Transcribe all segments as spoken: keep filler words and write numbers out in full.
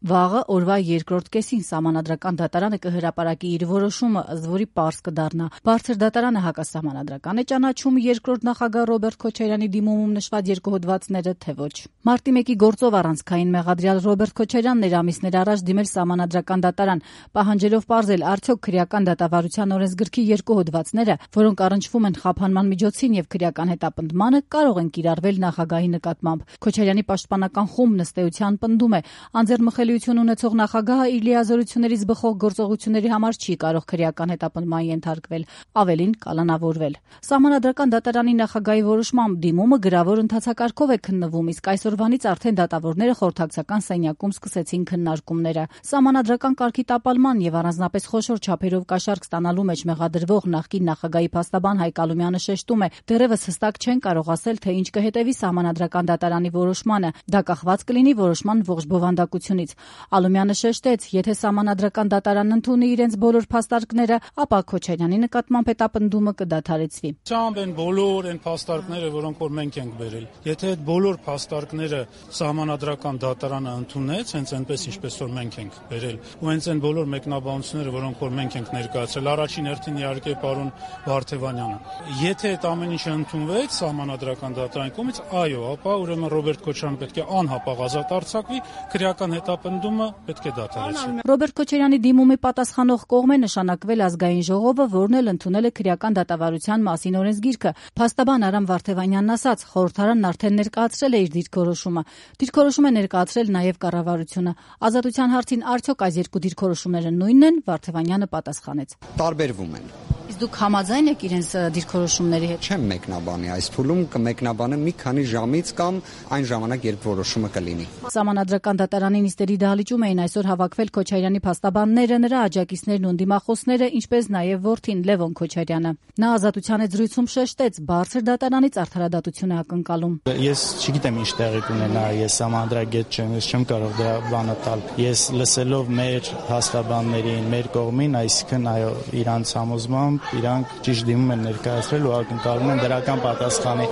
Վաղը օրվա երկրորդ կեսին Սահմանադրական դատարանը կհրապարակի իր որոշումը, ըստ որի պարզ կդառնա. Բարձր դատարանը հակասահմանադրական է ճանաչում երկրորդ նախագահ Ռոբերտ Քոչարյանի դիմումում նշված երկու հոդվածները, թե ոչ։ Մարտի մեկի գործով առանցքային մեղադրյալ Ռոբերտ Քոչարյանն էր ամիսներ առաջ դիմել Սահմանադրական դատարան, պահանջելով պարզել, արդյոք քրեական դատավարության օրենսգրքի երկու հոդվածները, որոնք առնչվում են խափանման միջոցին եւ քրեական հետապնդմանը, կարող են կիրառվել նախագահի նկատմամբ։ Քոչարյանի պաշտպանական խումբն ըստ էության պնդում է, անձեռմխելիություն ունեցող նախագահը իր լիազորություններից բխող գործողությունների համար չի կարող քրեական հետապնդման ենթարկվել, ավելին կալանավորվել։ Սահմանադրական դատարանի նախագահի որոշմամբ դիմումը գրավոր ընթացակարգով է քննվում, իսկ այսօրվանից արդեն դատավորները խորհրդակցական սենյակում սկսեցին քննարկումները։ Սահմանադրական կարգի տապալման եւ առանձնապես խոշոր չափերով կաշառք ստանալու մեջ մեղադրվող նախկին նախագահի փաստաբան Հայկ Ալումյանը շեշտում է, դեռևս հստակ չեն կարող ասել, թե ինչ կհետևի Սահմանադրական դատարանի որոշմանը։ Դա կախված կլինի որոշման ողջ բովանդակությունից։ Ալումյանը շեշտեց, եթե Սահմանադրական դատարանն ընդունի իրենց բոլոր փաստարկները, ապա Քոչարյանի նկատմամբ հետապնդումը կդադարեցվի։ Ճամբ են բոլոր այն փաստարկները, որոնք որ մենք ենք բերել։ Եթե այդ բոլոր փաստարկները Սահմանադրական դատարանը ընդունեց, հենց այնպես ինչպես որ մենք ենք բերել, ու հենց այն բոլոր մեկնաբանությունները, որոնք որ մենք ենք ներկայացրել, առաջին հերթին իհարկե պարոն Վարդևանյանը։ Եթե այդ ամեն ինչը ընդունվեց Սահմանադրական դատարանի կողմից, այո, ապա ուրեմն Ռոբերտ Քոչարյանը պետք է անհապաղ ազատ արձակվի, քրեական հետապնդումը պետք է դադարեցվի։ Ռոբերտ Քոչարյանի դիմումի պատասխանող կողմ է նշանակվել Ազգային ժողովը, որն էլ ընդունել է քրեական դատավարության մասին օրենսգիրքը։ Փաստաբան Արամ Վարդևանյանն ասաց, խորհրդարանն արդեն ներկայացրել է իր դիրքորոշումը։ Դիրքորոշում է ներկայացրել նաև կառավարությունը։ Ազատության հարցին արդյոք այս երկու դիրքորոշումները նույնն են, Վարդևանյանը պատասխանեց. Տարբերվում են։ Իսկ դուք համաձայն եք իրենց դիրքորոշումների հետ։ Չեմ մեկնաբանի այս փուլում, կմեկնաբանը մի քանի ժամից կամ այն ժամանակ, երբ որոշումը կլինի։ Սահմանադրական դատարանի նիստերի դահլիճում էին այսօր հավաքվել Քոչարյանի փաստաբանները, նրա աջակիցներն ու դիմախոսները, ինչպես նաև որդին Լևոն Քոչարյանը։ Նա ազատության հետ զրույցում շեշտեց, բարձր դատարանից արդարադատություն է ակնկալում։ Ես չգիտեմ ինչ տեղի կունենա, ես համանդրագետ չեմ, ես չեմ կարող դրա բանը տալ։ Ես լսելով մեր փաստաբաններին, մեր կողմին, այսինքն այո, իրանց համոզմամբ իրանք ճիշտ դիմում են ներկայացրել ու ակնկալում են դրական պատասխանի,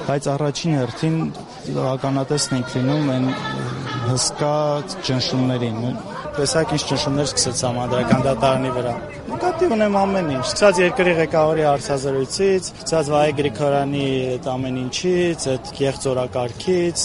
բայց առաջին հերթին ականատեսն ենք լինում այն հսկա ճնշումներին։ Տեսակ ինչ ճնշումներ սկսեց Սահմանադրական դատարանի վրա։ Նկատի ունեմ ամեն ինչ, սկսած երկրի ղեկավարի հարցազրույցից, սկսած Վահե Գրիգորյանի այդ ամեն ինչից, այդ կեղծ օրակարգից,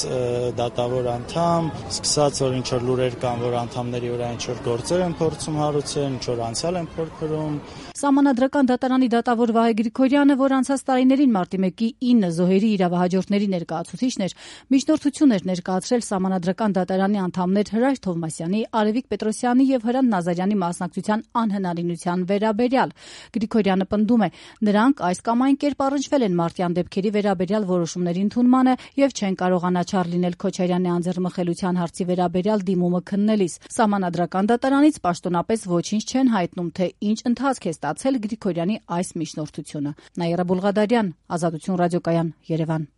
դատավոր անդամ, սկսած որ ինչ որ լուրեր կան, որ անդամների վրա ինչ որ գործեր են փորձում հարուցել, ինչ որ անցյալ են փորփրում։ Սահմանադրական դատարանի դատավոր Վահե Գրիգորյանը, որ անցած տարիներին մարտի մեկի ինը զոհերի իրավահաջորդների ներկայացուցիչն էր, միջնորդություն էր ներկայացրել Սահմանադրական դատարանի անդամներ Հրայր Թովմասյանի, Արևիկ Պետրոսյանի եւ Հրանտ Նազարյանի մասնակցության անհնարինության վերաբերյալ։ Գրիգորյանը պնդում է, նրանք այս կամ այն կերպ առնչվել են մարտյան դեպքերի վերաբերյալ որոշումների ընդունմանը եւ չեն կարող անաչառ լինել Քոչարյանի անձեռմխելիության հարցի վերաբերյալ դիմումը քննելիս։ Սահմանադրական դատարանից պաշտոնապես ոչինչ չեն հայտնում, թե ինչ ընթացք է ստացել Գրիգորյանի այս միջնորդությունը։ Նաիրա Բուլղադարյան, Ազատություն ռադիոկայան, Երևան։